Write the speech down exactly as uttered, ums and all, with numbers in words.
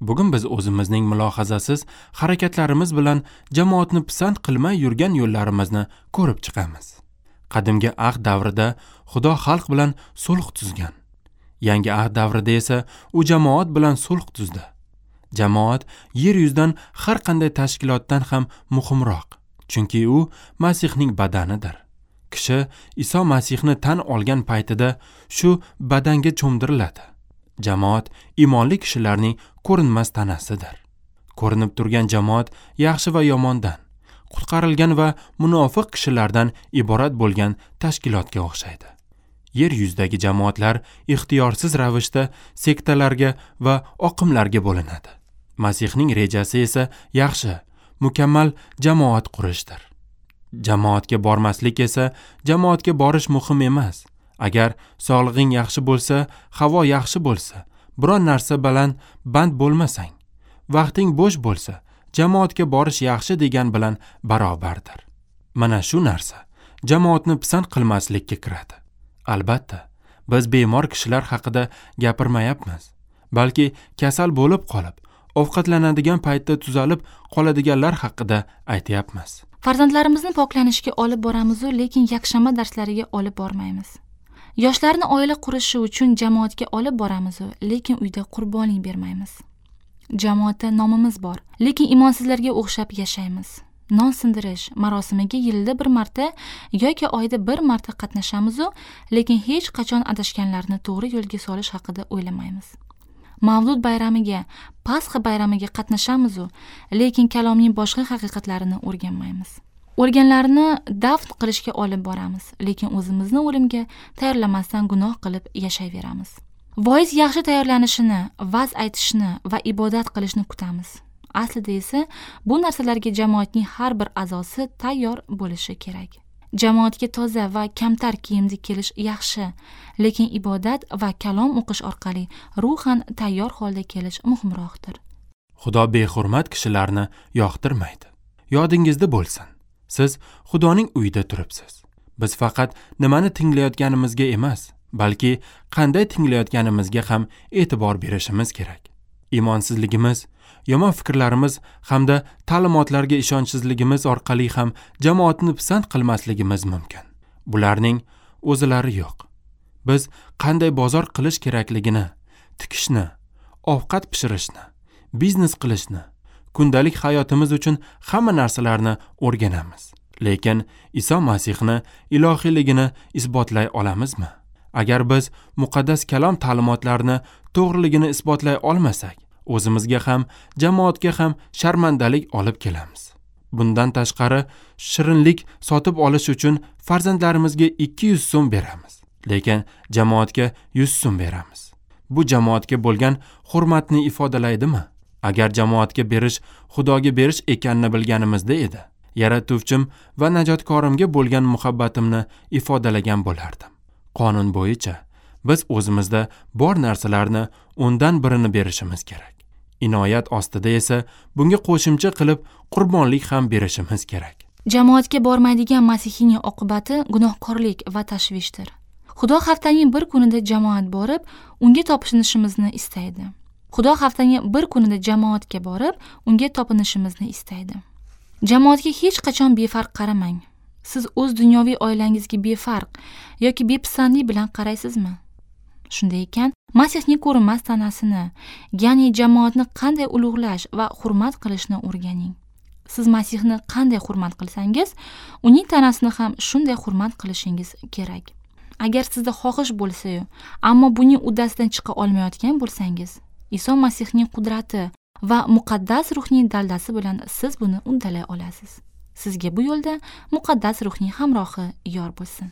Bugun biz o'zimizning mulohazasiz harakatlarimiz bilan jamoatni pisand qilmay yurgan yo'llarimizni ko'rib chiqamiz. Qadimgi ahd davrida Xudo xalq bilan sulh tuzgan. Yangi ahd davrida esa u jamoat bilan sulh tuzdi. Jamoat yer yuzidan har qanday tashkilotdan ham muhimroq, chunki u Masihning badanidir. Kishi Iso Masihni tan olgan paytida shu badanga cho'mdiriladi. Jamoat iymonli kishilarning ko'rinmas tanasidir. Ko'rinib turgan jamoat yaxshi va yomondan, qutqarilgan va munofiq kishilardan iborat bo'lgan tashkilotga o'xshaydi. Yer yuzidagi jamoatlar ixtiyorsiz ravishda sektalarga va oqimlarga bo'linadi. Masihning rejasi esa yaxshi, mukammal jamoat qurishdir. Jamoatga bormaslik esa jamoatga borish muhim emas. Agar sog'lig'ing yaxshi bo'lsa, havo yaxshi bo'lsa, biron narsa bilan band bo'lmasang, vaqting bo'sh bo'lsa, jamoatga borish yaxshi degan bilan barobardir. Mana shu narsa jamoatni pisand qilmaslikka kiradi. Albatta, biz bemor kishilar haqida gapirmayapmiz, balki kasal bo'lib qolib, ovqatlanadigan paytda tuzalib qoladiganlar haqida aytyapmiz. Farzandlarimizni poklanishga olib boramiz-u, lekin yakshanba darslariga olib bormaymiz. Yoshlarni oila qurishi uchun jamoatga olib boramiz-u, lekin uyda qurbonlik bermaymiz. Jamoatda nomimiz bor, lekin imonsizlarga o'xshab yashaymiz. Non sindirish marosimiga yilda bir marta yoki oyda bir marta qatnashamiz-u, lekin hech qachon adashganlarni to'g'ri yo'lga solish haqida o'ylamaymiz. Mavlud bayramiga, Pasxa bayramiga qatnashamiz-u, lekin kalomning boshqa haqiqatlarini o'rganmaymiz. O'lganlarni dafn qilishga olib boramiz, lekin o'zimizni o'limga tayyorlamasdan gunoh qilib yashayveramiz. Voiz yaxshi tayyorlanishini, va'z aytishni va ibodat qilishni kutamiz. Aslida esa bu narsalarga jamoatning har bir a'zosi tayyor bo'lishi kerak. Jamoatga toza va kamtar kiyimda kelish yaxshi, lekin ibodat va kalom o'qish orqali ruhan tayyor holda kelish muhimroqdir. Xudo behurmat kishilarni yoqtirmaydi. Yodingizda bo'lsin, siz Xudoning uyida turibsiz. Biz faqat nimani tinglayotganimizga emas, balki qanday tinglayotganimizga ham e'tibor berishimiz kerak. Imonsizligimiz, yomon fikrlarimiz hamda ta'limotlarga ishonchsizligimiz orqali ham jamoatni pisand qilmasligimiz mumkin. Bularning o'zilari yo'q. Biz qanday bozor qilish kerakligini, tikishni, ovqat pishirishni, biznes qilishni, kundalik hayotimiz uchun hamma narsalarni o'rganamiz. Lekin Iso Masihni ilohiyligini isbotlay olamizmi? Agar biz muqaddas kalom ta'limotlarini to'g'riligini isbotlay olmasak, o'zimizga ham, jamoatga ham sharmandalik olib kelamiz. Bundan tashqari, shirinlik sotib olish uchun farzandlarimizga ikki yuz so'm beramiz, lekin jamoatga yuz so'm beramiz. Bu jamoatga bo'lgan hurmatni ifodalaydimi? Agar jamoatga berish Xudoga berish ekanini bilganimizda edi, yaratuvchim va najotkorimga bo'lgan muhabbatimni ifodalagan bo'lardim. Qonun bo'yicha biz o'zimizda bor narsalarni o'ndan birini berishimiz kerak. Inoyat ostida esa bunga qo'shimcha qilib qurbonlik ham berishimiz kerak. Jamoatga bormaydigan masihiyning oqibati gunohkorlik va tashvishdir. Xudo haftaning bir kunida jamoat borib, unga topinishimizni istaydi. Xudo haftaning bir kunida jamoatga borib, unga topinishimizni istaydi. Jamoatga hech qachon befarq qaramang. Siz o'z dunyoviy oilangizga befarq yoki bepisandlik bilan qaraysizmi? Shunday ekan, Masihning ko'rinmas tanasini, ya'ni jamoatni qanday ulug'lash va hurmat qilishni o'rganing. Siz Masihni qanday hurmat qilsangiz, uning tanasini ham shunday hurmat qilishingiz kerak. Agar sizda xohish bo'lsa-yu, ammo buning uddasidan chiqa olmayotgan bo'lsangiz, Iso Masihning qudrati va muqaddas ruhning daldasi bilan siz buni uddalay olasiz. Sizga bu yo'lda muqaddas ruhning hamrohi yor bo'lsin.